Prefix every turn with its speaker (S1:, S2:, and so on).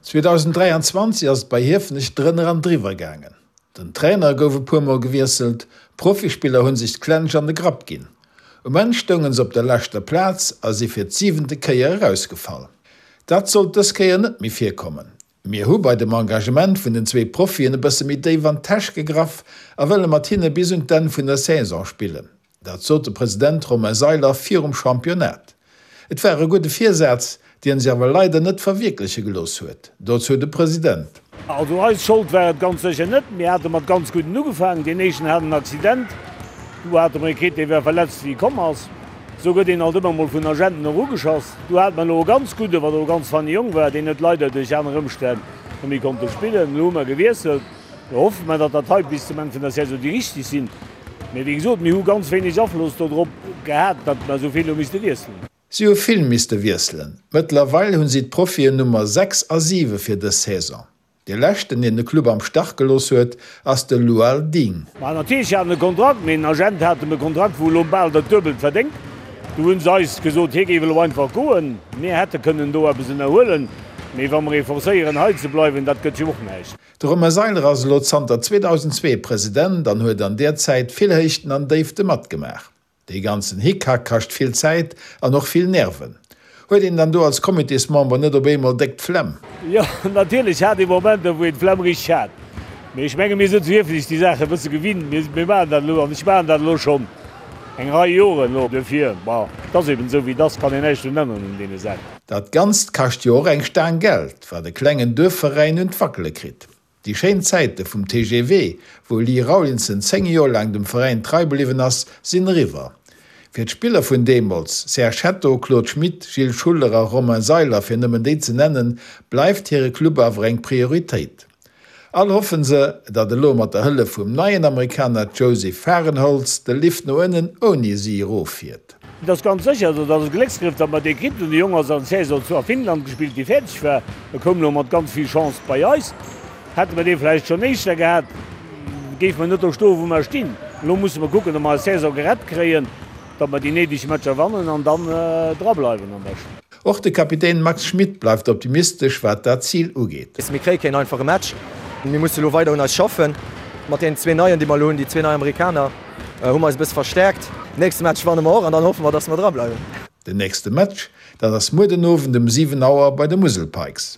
S1: 2023 ass et bei Hiefenech drënner an driwwer gaangen. Den Trainer gouf e puer Mol gewiesselt, Profispiller hu sech d'Klensch an de Grapp ginn. Um Enn stounge se op der leschter Plaz a si fir d'siwente Kéier erausgefall. Dat sollt dës Kéier net méi virkommen. Mir hu bei dem Engagement vun den zwee Profien e bësse méi déif an d'Täsch gegraff a wëlle mat hinne bis un d'Enn vun der Saison spillen. Dat sot de President Romain Seiler virum Championnat. Et war e gudde Virsaz, dien sech awer leider net verwierkleche gelooss huet. Dozou de President.
S2: Also eis Schold war et ganz sécher net. Mir hate mat ganz gudden ugefaangen. Deen éischten hat en Accident. Du hate mer ee kritt, dee war verletzt wéi e komm ass. Esou gëtt een alt ëmmer mol vun Agenten och ugeschoss. Du hate mer elo e ganz gudde, wat och e ganz feine Jong war, deen huet leider duerch aner Ëmstänn net méi konnte spillen. Elo hu mer gewiesselt. Elo hoffe mer, datt dat hei bis zum Enn vun der Saison déi richteg sinn. Mee wéi gesot, mir hu ganz wéineg Afloss dodrop gehat, datt mer esou vill hu misste wiesselen.
S1: Si hu vill misste wiesselen. Mëttlerweil hunn si d'Profien Nummer 6 a 7 fir dës Saison. Dee leschten, deen de Club am Stach gelooss huet, ass de Lual Ding.
S2: Ma natierlech hat en e Kontrakt, mee den Agent hat em e Kontrakt, wou e lo bal dat Duebelt verdéngt. Du hunn se eis gesot, hie géif elo einfach goen. Mir hätte kënnen do eppes ënnerhuelen, mee wa mer ee forcéieren hei ze bleiwen, dat gëtt jo och näischt.
S1: De Romain Seiler ass elo zanter 2002 President an huet an där Zäit vill Héichten an Déifte matgemaach. Dee ganzen Hickhack kascht vill Zäit an och vill Nerven. Huet een dann do als Comitésmember net op eemol déck d'Flemm?
S2: Jo, natierlech hat ee Momenter, wou een d'Flemm richteg hat. Mee ech menge mir sinn zu Hiefenech déi Saache e bësse gewinnt. Mir maachen dat elo an ech maachen dat elo schonn eng Rei Joren elo. Duerfir, bon, et ass eben esou wéi et ass, kann een näischt drun änneren un deene Saachen.
S1: Dat Ganzt kascht jo och eng Staang Geld, wat e klengen Duerfveräin un d'Wackele kritt. Déi schéin Zäite vum TGV, wou Lee Rawlinson 10 Joer laang dem Veräin trei bliwwen ass, sinn eriwwer. Fir d'Spiller vun deemools, Serge Hetto, Claude Schmit, Gilles Schuller a Romain Seiler, fir nëmmen déi ze nennen, bleift hire Club awer eng Prioritéit. All hoffen se, datt elo mat der Hëllef vum neien Amerikaner Joseph Fahrenholtz de Lift no ënnen ouni si eroffiert.
S2: Et ass ganz sécher, also et ass e Glécksgrëff, datt mer dee kritt hunn. De Jong ass an Saison zu a Finnland gespillt, déi fäerdeg war. E koum elo mat ganz vill Chance bei eis. Hätte mer dee vläicht schonn éischter gehat, géife mer net do stoen, wou mer stinn. Elo musse mer kucken, datt mer eis Saison gerett kréien. Datt mer déi néideg Matcher wannen an dann drableiwen am beschten.
S1: Och de Kapitän Max Schmit bleift optimistesch wat dat Zil ugeet.
S3: Mir kréie keen einfache Match. Mir musse elo weider un eis schaffen. Mat deenen zwee Neien, déi mer elo hunn, déi zwee nei Amerikaner, hu mer eis e bësse verstäerkt. Nächste Match wanne mer och an dann hoffe mer, datt mer drableiwen.
S1: Den nächste Match, dat ass muer den Owend um 7 Auer bei de Musel Pikes.